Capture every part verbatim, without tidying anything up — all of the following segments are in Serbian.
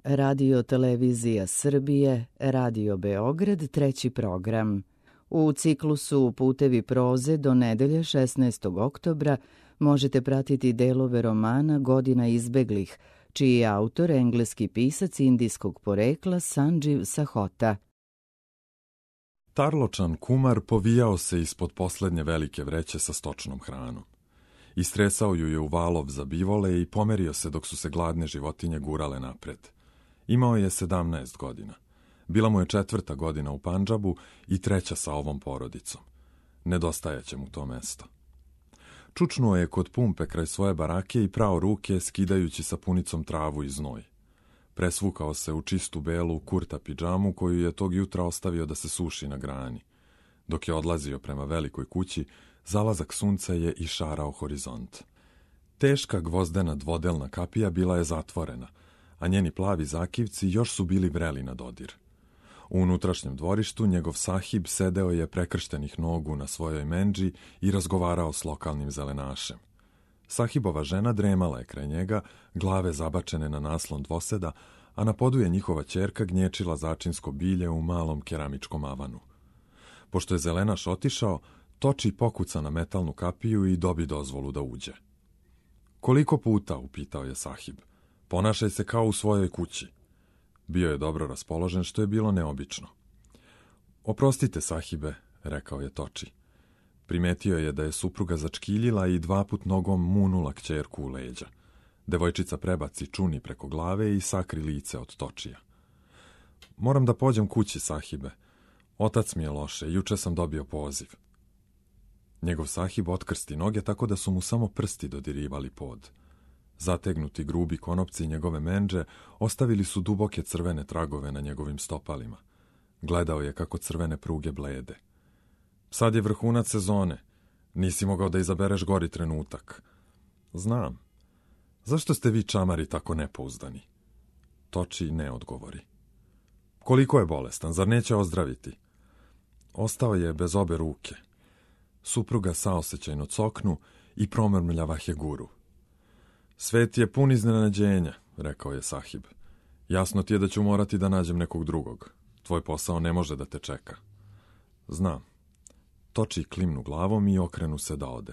Radio Televizija Srbije, Radio Beograd, treći program. U ciklusu Putevi proze do nedelje šesnaestog oktobra možete pratiti delove romana Godina izbeglih, čiji je autor engleski pisac indijskog porekla Sanđiv Sahota. Tarločan kumar povijao se ispod poslednje velike vreće sa stočnom hranom. Istresao ju je u valov za bivole i pomerio se dok su se gladne životinje gurale napred. Imao je sedamnaest godina. Bila mu je četvrta godina u Pandžabu i treća sa ovom porodicom. Nedostajaće mu to mesto. Čučnuo je kod pumpe kraj svoje barake i prao ruke skidajući sapunicom travu i znoj. Presvukao se u čistu belu kurta pidžamu koju je tog jutra ostavio da se suši na grani. Dok je odlazio prema velikoj kući, zalazak sunca je išarao horizont. Teška gvozdena dvodelna kapija bila je zatvorena, a njeni plavi zakivci još su bili vreli na dodir. U unutrašnjem dvorištu njegov sahib sedeo je prekrštenih nogu na svojoj mendži i razgovarao s lokalnim zelenašem. Sahibova žena dremala je kraj njega, glave zabačene na naslon dvoseda, a na podu je njihova ćerka gnječila začinsko bilje u malom keramičkom avanu. Pošto je zelenaš otišao, Toči pokuca na metalnu kapiju i dobi dozvolu da uđe. Koliko puta, upitao je sahib. Ponašaj se kao u svojoj kući. Bio je dobro raspoložen, što je bilo neobično. Oprostite, sahibe, rekao je Toči. Primetio je da je supruga začkiljila i dva put nogom munula kćerku u leđa. Devojčica prebaci čuni preko glave i sakri lice od Točija. Moram da pođem kući, sahibe. Otac mi je loše, juče sam dobio poziv. Njegov sahib otkrsti noge tako da su mu samo prsti dodirivali pod. Zategnuti grubi konopci njegove mendže ostavili su duboke crvene tragove na njegovim stopalima. Gledao je kako crvene pruge blede. Sad je vrhunac sezone. Nisi mogao da izabereš gori trenutak. Znam. Zašto ste vi čamari tako nepouzdani? Toči ne odgovori. Koliko je bolestan, zar neće ozdraviti? Ostao je bez obe ruke. Supruga saosećajno coknu i promrmljava Heguru. Svet je pun iznenađenja, rekao je sahib. Jasno ti je da ću morati da nađem nekog drugog. Tvoj posao ne može da te čeka. Znam. Toči klimnu glavom i okrenu se da ode.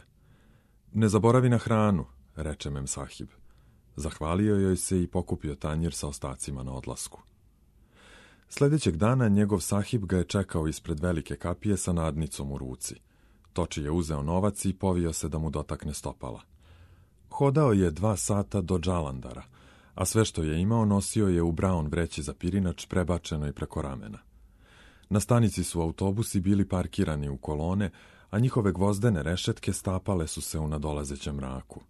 Ne zaboravi na hranu, reče mem sahib. Zahvalio joj se i pokupio tanjir sa ostacima na odlasku. Sljedećeg dana njegov sahib ga je čekao ispred velike kapije sa nadnicom u ruci. Toči je uzeo novac i povio se da mu dotakne stopala. Hodao je dva sata do Džalandara, a sve što je imao nosio je u braun vreći za pirinač prebačeno i preko ramena. Na stanici su autobusi bili parkirani u kolone, a njihove gvozdene rešetke stapale su se u nadolazećem mraku.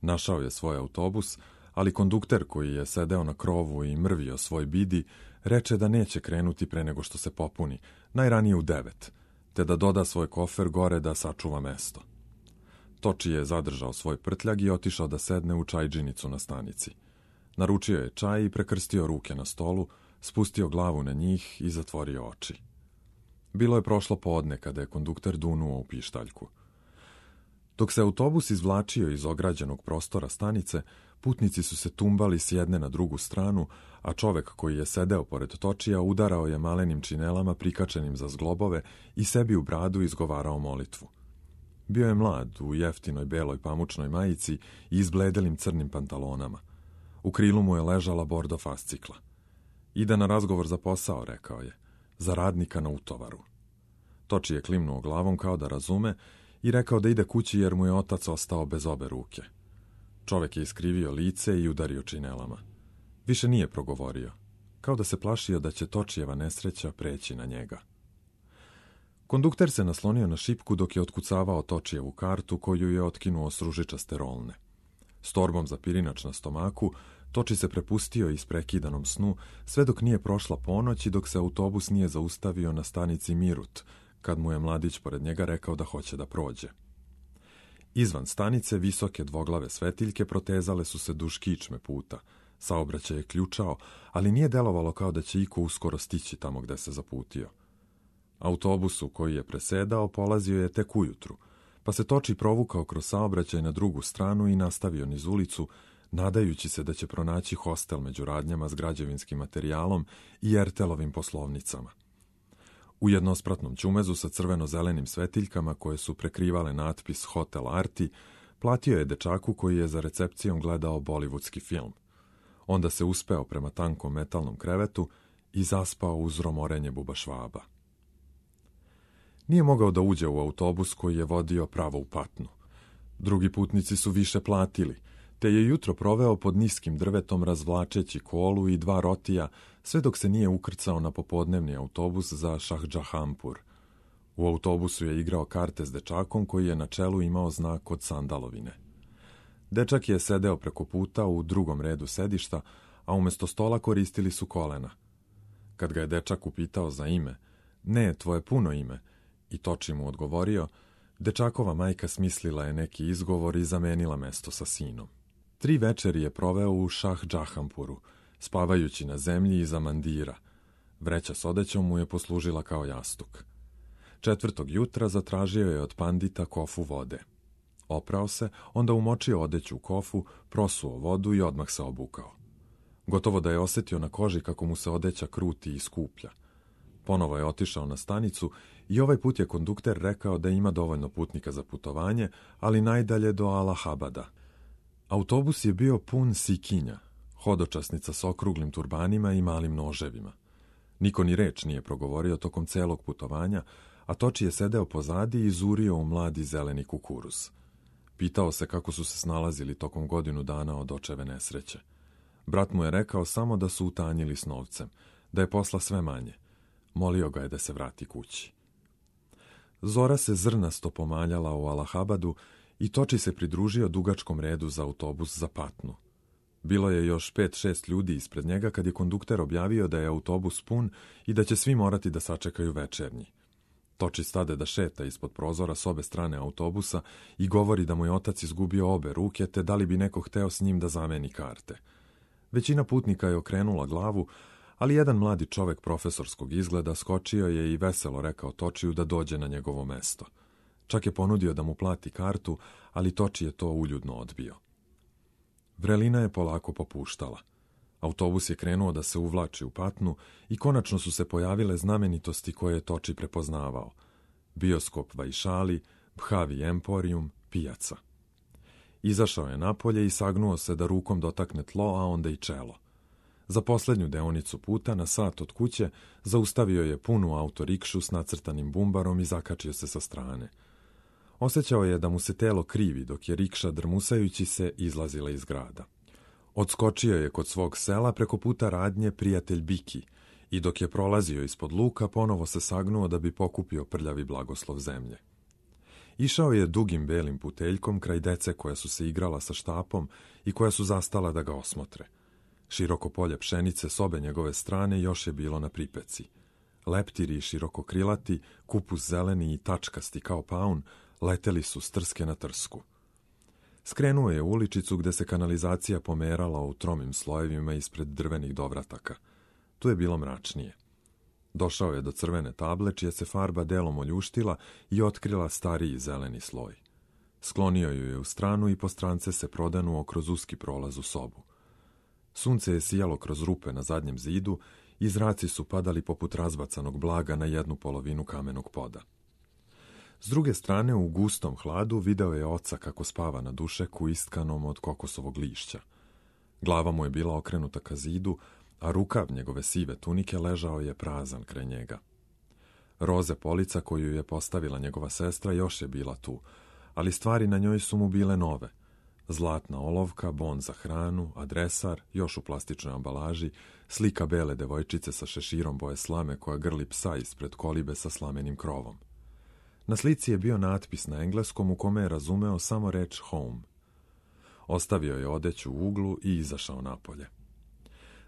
Našao je svoj autobus, ali kondukter koji je sedeo na krovu i mrvio svoj bidi, reče da neće krenuti pre nego što se popuni, najranije u devet, te da doda svoj kofer gore da sačuva mesto. Toči je zadržao svoj prtljag i otišao da sedne u čajđinicu na stanici. Naručio je čaj i prekrstio ruke na stolu, spustio glavu na njih i zatvorio oči. Bilo je prošlo podne kada je kondukter dunuo u pištaljku. Dok se autobus izvlačio iz ograđenog prostora stanice, putnici su se tumbali s jedne na drugu stranu, a čovek koji je sedeo pored Točija udarao je malenim činelama prikačenim za zglobove i sebi u bradu izgovarao molitvu. Bio je mlad, u jeftinoj beloj pamučnoj majici i izbledelim crnim pantalonama. U krilu mu je ležala bordo fascikla. Ide na razgovor za posao, rekao je, za radnika na utovaru. Toči je klimnuo glavom kao da razume i rekao da ide kući jer mu je otac ostao bez obe ruke. Čovek je iskrivio lice i udario činelama. Više nije progovorio, kao da se plašio da će Točijeva nesreća preći na njega. Kondukter se naslonio na šipku dok je otkucavao Točijevu kartu koju je otkinuo s ružičaste rolne. S torbom za pirinač na stomaku, Toči se prepustio isprekidanom snu sve dok nije prošla ponoć i dok se autobus nije zaustavio na stanici Mirut, kad mu je mladić pored njega rekao da hoće da prođe. Izvan stanice visoke dvoglave svetiljke protezale su se duž kičme puta. Saobraćaj je ključao, ali nije delovalo kao da će iko uskoro stići tamo gde se zaputio. Autobusu koji je presedao polazio je tek ujutru, pa se Toči provukao kroz saobraćaj na drugu stranu i nastavio niz ulicu, nadajući se da će pronaći hostel među radnjama s građevinskim materijalom i Ertelovim poslovnicama. U jednospratnom ćumezu sa crveno-zelenim svetiljkama koje su prekrivale natpis Hotel Arti, platio je dečaku koji je za recepcijom gledao bollywoodski film. Onda se uspeo prema tankom metalnom krevetu i zaspao uz romorenje bubašvaba. Nije mogao da uđe u autobus koji je vodio pravo u Patnu. Drugi putnici su više platili, te je jutro proveo pod niskim drvetom razvlačeći kolu i dva rotija, sve dok se nije ukrcao na popodnevni autobus za Šahdžahampur. U autobusu je igrao karte s dečakom koji je na čelu imao znak od sandalovine. Dečak je sedeo preko puta u drugom redu sedišta, a umjesto stola koristili su kolena. Kad ga je dečak upitao za ime, ne, tvoje puno ime, i Toči mu odgovorio, dečakova majka smislila je neki izgovor i zamenila mesto sa sinom. Tri večeri je proveo u Šahdžahampuru, spavajući na zemlji iza mandira. Vreća s odećom mu je poslužila kao jastuk. Četvrtog jutra zatražio je od pandita kofu vode. Oprao se, onda umočio odeću u kofu, prosuo vodu i odmah se obukao. Gotovo da je osjetio na koži kako mu se odeća kruti i skuplja. Ponovo je otišao na stanicu i ovaj put je kondukter rekao da ima dovoljno putnika za putovanje, ali najdalje do Allahabada. Autobus je bio pun sikinja, hodočasnica s okruglim turbanima i malim noževima. Niko ni reč nije progovorio tokom celog putovanja, a Toči je sedeo pozadi i zurio u mladi zeleni kukuruz. Pitao se kako su se snalazili tokom godinu dana od očeve nesreće. Brat mu je rekao samo da su utanjili s novcem, da je posla sve manje. Molio ga je da se vrati kući. Zora se zrnasto pomaljala u Allahabadu i Toči se pridružio dugačkom redu za autobus za Patnu. Bilo je još pet šest ljudi ispred njega kad je kondukter objavio da je autobus pun i da će svi morati da sačekaju večernji. Toči stade da šeta ispod prozora s obe strane autobusa i govori da mu je otac izgubio obe ruke, te da li bi neko hteo s njim da zameni karte. Većina putnika je okrenula glavu, ali jedan mladi čovek profesorskog izgleda skočio je i veselo rekao Točiju da dođe na njegovo mesto. Čak je ponudio da mu plati kartu, ali Toči je to uljudno odbio. Vrelina je polako popuštala. Autobus je krenuo da se uvlači u Patnu i konačno su se pojavile znamenitosti koje je Toči prepoznavao. Bioskop Vajšali, Bhavi Emporium, pijaca. Izašao je napolje i sagnuo se da rukom dotakne tlo, a onda i čelo. Za posljednju deonicu puta, na sat od kuće, zaustavio je punu autorikšu s nacrtanim bumbarom i zakačio se sa strane. Osjećao je da mu se telo krivi dok je rikša drmusajući se izlazila iz grada. Odskočio je kod svog sela preko puta radnje prijatelj Biki i dok je prolazio ispod luka ponovo se sagnuo da bi pokupio prljavi blagoslov zemlje. Išao je dugim belim puteljkom kraj dece koja su se igrala sa štapom i koja su zastala da ga osmotre. Široko polje pšenice s obe njegove strane još je bilo na pripeci. Leptiri širokokrilati, kupus zeleni i tačkasti kao paun, leteli su s trske na trsku. Skrenuo je u uličicu gde se kanalizacija pomerala u tromim slojevima ispred drvenih dovrataka. Tu je bilo mračnije. Došao je do crvene table, čija se farba delom oljuštila i otkrila stariji zeleni sloj. Sklonio ju je u stranu i po strance se prodanuo kroz uski prolaz u sobu. Sunce je sijalo kroz rupe na zadnjem zidu i zraci su padali poput razbacanog blaga na jednu polovinu kamenog poda. S druge strane, u gustom hladu video je oca kako spava na dušeku istkanom od kokosovog lišća. Glava mu je bila okrenuta ka zidu, a rukav njegove sive tunike ležao je prazan kraj njega. Roze polica koju je postavila njegova sestra još je bila tu, ali stvari na njoj su mu bile nove. Zlatna olovka, bon za hranu, adresar, još u plastičnoj ambalaži, slika bele devojčice sa šeširom boje slame koja grli psa ispred kolibe sa slamenim krovom. Na slici je bio natpis na engleskom u kome je razumeo samo reč home. Ostavio je odeću u uglu i izašao napolje.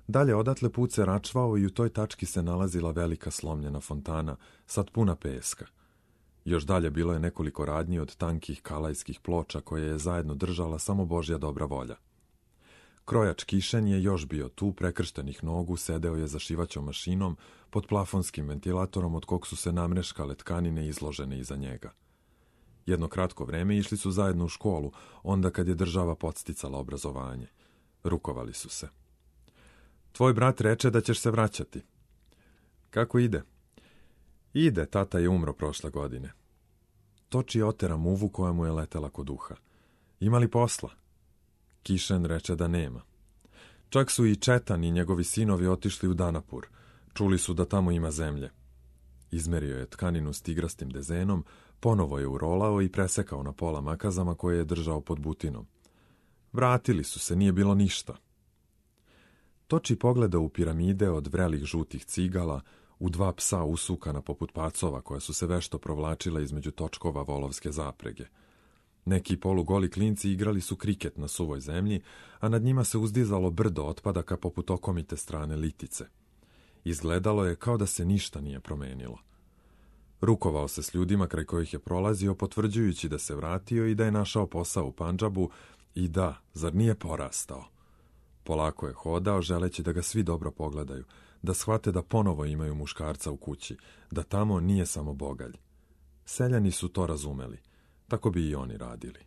Dalje odatle put se račvao i u toj tački se nalazila velika slomljena fontana, sad puna peska. Još dalje bilo je nekoliko radnji od tankih kalajskih ploča koje je zajedno držala samo Božja dobra volja. Krojač Kišen je još bio tu, prekrštenih nogu, sedeo je za šivaćom mašinom pod plafonskim ventilatorom od kog su se namreškale tkanine izložene iza njega. Jedno kratko vreme išli su zajedno u školu, onda kad je država podsticala obrazovanje. Rukovali su se. Tvoj brat reče da ćeš se vraćati. Kako ide? Ide, tata je umro prošle godine. Toči otera muvu koja mu je letela kod uha. Ima li posla? Kišen reče da nema. Čak su i Četan i njegovi sinovi otišli u Danapur. Čuli su da tamo ima zemlje. Izmerio je tkaninu s tigrastim dezenom, ponovo je urolao i presekao na pola makazama koje je držao pod butinom. Vratili su se, nije bilo ništa. Toči pogleda u piramide od vrelih žutih cigala, u dva psa usukana poput pacova koja su se vešto provlačila između točkova volovske zaprege. Neki polugoli klinci igrali su kriket na suvoj zemlji, a nad njima se uzdizalo brdo otpadaka poput okomite strane litice. Izgledalo je kao da se ništa nije promenilo. Rukovao se s ljudima kraj kojih je prolazio, potvrđujući da se vratio i da je našao posao u Pandžabu i da, zar nije porastao. Polako je hodao, želeći da ga svi dobro pogledaju, da shvate da ponovo imaju muškarca u kući, da tamo nije samo bogalj. Seljani su to razumeli, tako bi i oni radili.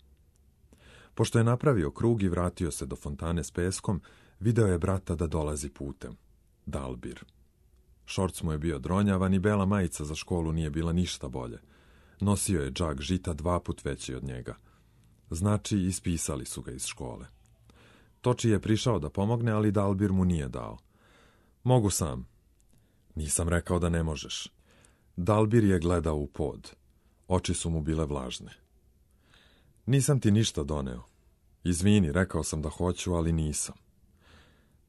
Pošto je napravio krug i vratio se do fontane s peskom, video je brata da dolazi putem. Dalbir. Šorc mu je bio dronjavan i bela majica za školu nije bila ništa bolje. Nosio je džak žita dva put veći od njega. Znači, ispisali su ga iz škole. Toči je prišao da pomogne, ali Dalbir mu nije dao. Mogu sam. Nisam rekao da ne možeš. Dalbir je gledao u pod. Oči su mu bile vlažne. Nisam ti ništa doneo. Izvini, rekao sam da hoću, ali nisam.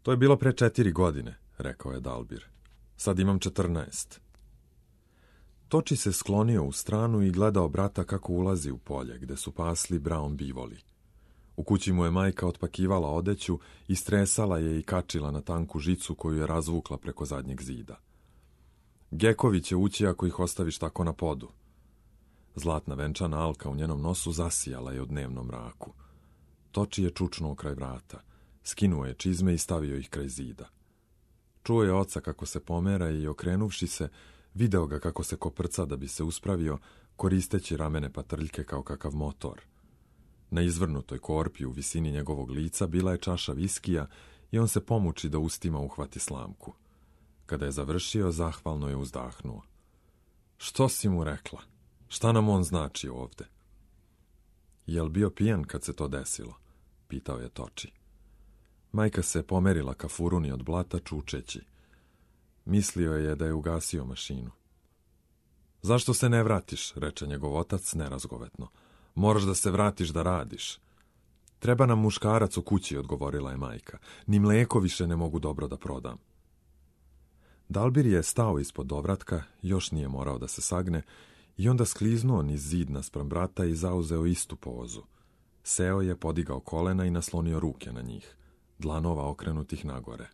To je bilo pre četiri godine, rekao je Dalbir. Sad imam četrnaest. Toči se sklonio u stranu i gledao brata kako ulazi u polje, gde su pasli Brown bivoli. U kući mu je majka otpakivala odeću, istresala je i kačila na tanku žicu koju je razvukla preko zadnjeg zida. Gekovi će ući ako ih ostaviš tako na podu. Zlatna venčana alka u njenom nosu zasijala je u dnevnom mraku. Toči je čučnuo kraj vrata. Skinuo je čizme i stavio ih kraj zida. Čuo je oca kako se pomera i, okrenuvši se, video ga kako se koprca da bi se uspravio, koristeći ramene patrljke kao kakav motor. Na izvrnutoj korpi u visini njegovog lica bila je čaša viskija i on se pomuči da ustima uhvati slamku. Kada je završio, zahvalno je uzdahnuo. Što si mu rekla? Šta nam on znači ovde? Jel bio pijan kad se to desilo? Pitao je Toči. Majka se pomerila ka furuni od blata čučeći. Mislio je da je ugasio mašinu. Zašto se ne vratiš, reče njegov otac nerazgovetno. Moraš da se vratiš da radiš. Treba nam muškarac u kući, odgovorila je majka. Ni mleko više ne mogu dobro da prodam. Dalbir je stao ispod dovratka, još nije morao da se sagne, i onda skliznuo niz zid naspram brata i zauzeo istu pozu. Seo je, podigao kolena i naslonio ruke na njih, dlanova okrenutih nagore.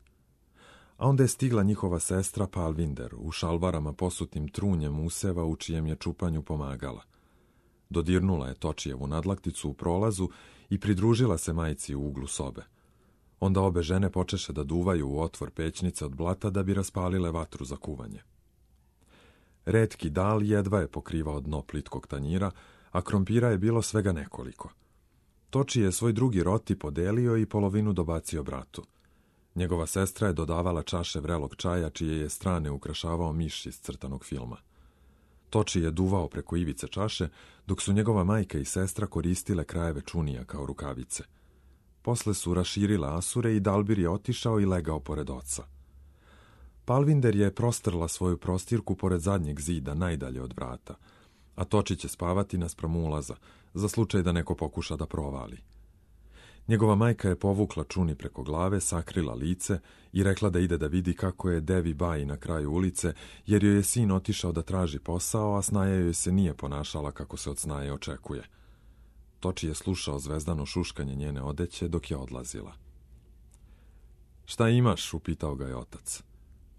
A onda je stigla njihova sestra Palvinder, u šalvarama posutim trunjem useva u čijem je čupanju pomagala. Dodirnula je Točijevu nadlakticu u prolazu i pridružila se majci u uglu sobe. Onda obe žene počeše da duvaju u otvor pećnice od blata da bi raspalile vatru za kuvanje. Retki dal jedva je pokrivao dno plitkog tanjira, a krompira je bilo svega nekoliko. Toči je svoj drugi roti podelio i polovinu dobacio bratu. Njegova sestra je dodavala čaše vrelog čaja, čije je strane ukrašavao miš iz crtanog filma. Toči je duvao preko ivice čaše, dok su njegova majka i sestra koristile krajeve čunija kao rukavice. Posle su raširile asure i Dalbir je otišao i legao pored oca. Palvinder je prostrla svoju prostirku pored zadnjeg zida, najdalje od vrata, a Toči će spavati naspram ulaza, za slučaj da neko pokuša da provali. Njegova majka je povukla čuni preko glave, sakrila lice i rekla da ide da vidi kako je Devi Baji na kraju ulice, jer joj je sin otišao da traži posao, a snaja joj se nije ponašala kako se od snaje očekuje. Toči je slušao zvezdano šuškanje njene odeće dok je odlazila. Šta imaš? Upitao ga je otac.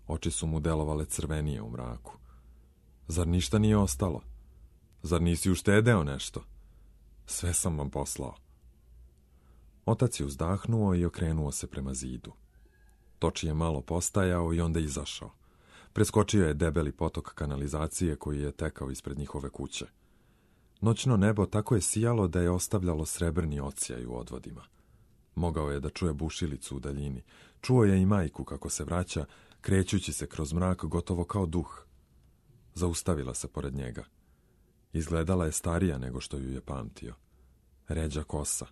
Oči su mu delovale crvenije u mraku. Zar ništa nije ostalo? Zar nisi uštedeo nešto? Sve sam vam poslao. Otac je uzdahnuo i okrenuo se prema zidu. Toči je malo postajao i onda izašao. Preskočio je debeli potok kanalizacije koji je tekao ispred njihove kuće. Noćno nebo tako je sijalo da je ostavljalo srebrni ocijaj u odvodima. Mogao je da čuje bušilicu u daljini. Čuo je i majku kako se vraća, krećući se kroz mrak gotovo kao duh. Zaustavila se pored njega. Izgledala je starija nego što ju je pamtio. Ređa kosa,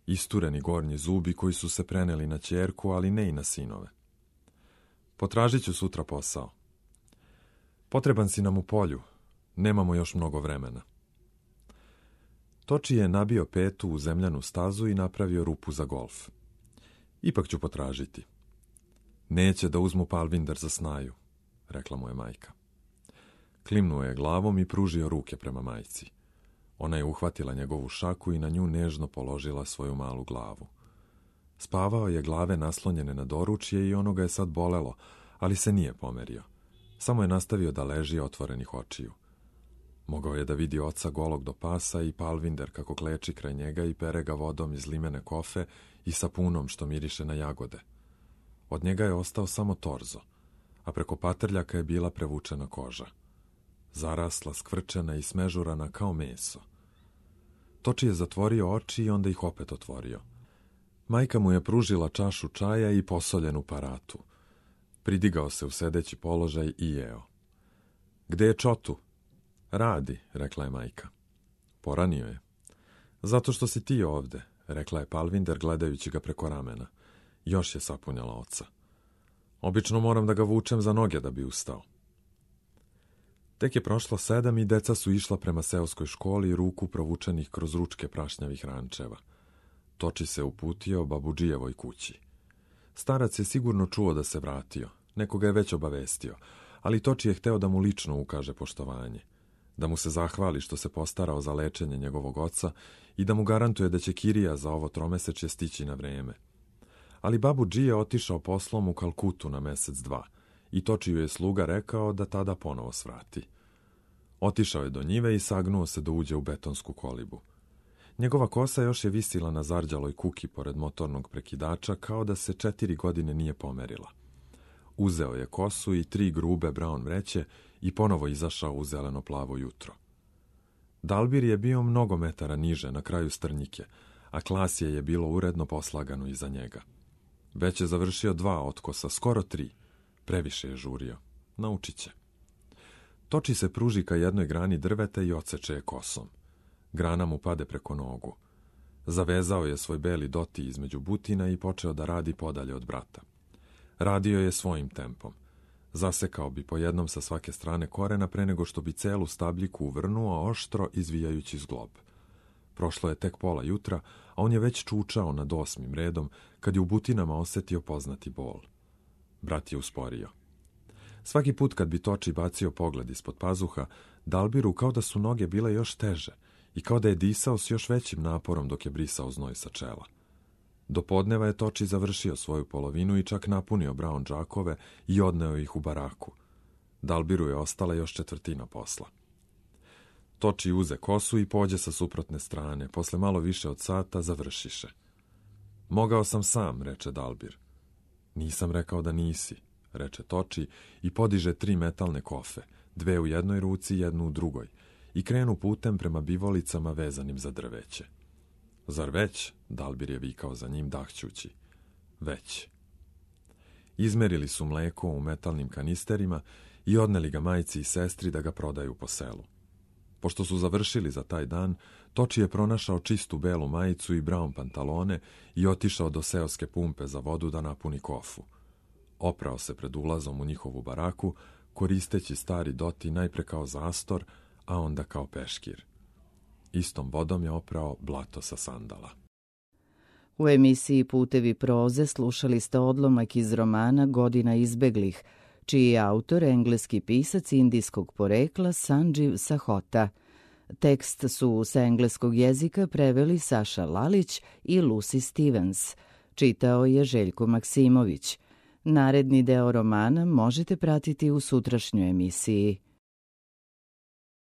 istureni gornji zubi koji su se preneli na ćerku, ali ne i na sinove. Potražit ću sutra posao. Potreban si nam u polju. Nemamo još mnogo vremena. Toči je nabio petu u zemljanu stazu i napravio rupu za golf. Ipak ću potražiti. Neće da uzmu Palvinder za snaju, rekla mu je majka. Klimnuo je glavom i pružio ruke prema majci. Ona je uhvatila njegovu šaku i na nju nežno položila svoju malu glavu. Spavao je glave naslonjene na doručje i ono ga je sad bolelo, ali se nije pomerio. Samo je nastavio da leži otvorenih očiju. Mogao je da vidi oca golog do pasa i Palvinder kako kleči kraj njega i pere ga vodom iz limene kofe i sapunom što miriše na jagode. Od njega je ostao samo torzo, a preko patrljaka je bila prevučena koža. Zarasla, skvrčena i smežurana kao meso. Toči je zatvorio oči i onda ih opet otvorio. Majka mu je pružila čašu čaja i posoljenu paratu. Pridigao se u sedeći položaj i jeo. Gde je Čotu? Radi, rekla je majka. Poranio je. Zato što si ti ovde, rekla je Palvinder gledajući ga preko ramena. Još je sapunjala oca. Obično moram da ga vučem za noge da bi ustao. Tek je prošlo sedam i deca su išla prema seoskoj školi ruku provučenih kroz ručke prašnjavih rančeva. Toči se uputio babudžijevoj kući. Starac je sigurno čuo da se vratio, nekoga je već obavestio, ali Toči je hteo da mu lično ukaže poštovanje, da mu se zahvali što se postarao za lečenje njegovog oca i da mu garantuje da će kirija za ovo tromesečje stići na vreme. Ali babudži je otišao poslom u Kalkutu na mesec dva i Točiju je sluga rekao da tada ponovo svrati. Otišao je do njive i sagnuo se da uđe u betonsku kolibu. Njegova kosa još je visila na zarđaloj kuki pored motornog prekidača kao da se četiri godine nije pomerila. Uzeo je kosu i tri grube braun vreće i ponovo izašao u zeleno-plavo jutro. Dalbir je bio mnogo metara niže na kraju strnjike, a klasje je bilo uredno poslagano iza njega. Već je završio dva otkosa, skoro tri. Previše je žurio. Naučit će. Toči se pruži ka jednoj grani drveta i odseče je kosom. Grana mu pade preko nogu. Zavezao je svoj beli doti između butina i počeo da radi podalje od brata. Radio je svojim tempom. Zasekao bi po jednom sa svake strane korena pre nego što bi celu stabljiku uvrnuo oštro izvijajući zglob. Prošlo je tek pola jutra, a on je već čučao nad osmim redom kad je u butinama osetio poznati bol. Brat je usporio. Svaki put kad bi Toči bacio pogled ispod pazuha, Dalbiru kao da su noge bile još teže i kao da je disao s još većim naporom dok je brisao znoj sa čela. Do podneva je Toči završio svoju polovinu i čak napunio braun džakove i odneo ih u baraku. Dalbiru je ostala još četvrtina posla. Toči uze kosu i pođe sa suprotne strane. Posle malo više od sata završiše. Mogao sam sam, reče Dalbir. Nisam rekao da nisi, reče Toči i podiže tri metalne kofe, dve u jednoj ruci, jednu u drugoj, i krenu putem prema bivolicama vezanim za drveće. Zar već? Dalbir je vikao za njim dahćući. Već. Izmerili su mleko u metalnim kanisterima i odneli ga majci i sestri da ga prodaju po selu. Pošto su završili za taj dan, Toči je pronašao čistu belu majicu i braun pantalone i otišao do seoske pumpe za vodu da napuni kofu. Oprao se pred ulazom u njihovu baraku, koristeći stari doti najpre kao zastor, a onda kao peškir. Istom vodom je oprao blato sa sandala. U emisiji Putevi proze slušali ste odlomak iz romana Godina izbeglih, čiji je autor engleski pisac indijskog porekla Sanđiv Sahota. Tekst su sa engleskog jezika preveli Saša Lalić i Lucy Stevens. Čitao je Željko Maksimović. Naredni deo romana možete pratiti u sutrašnjoj emisiji.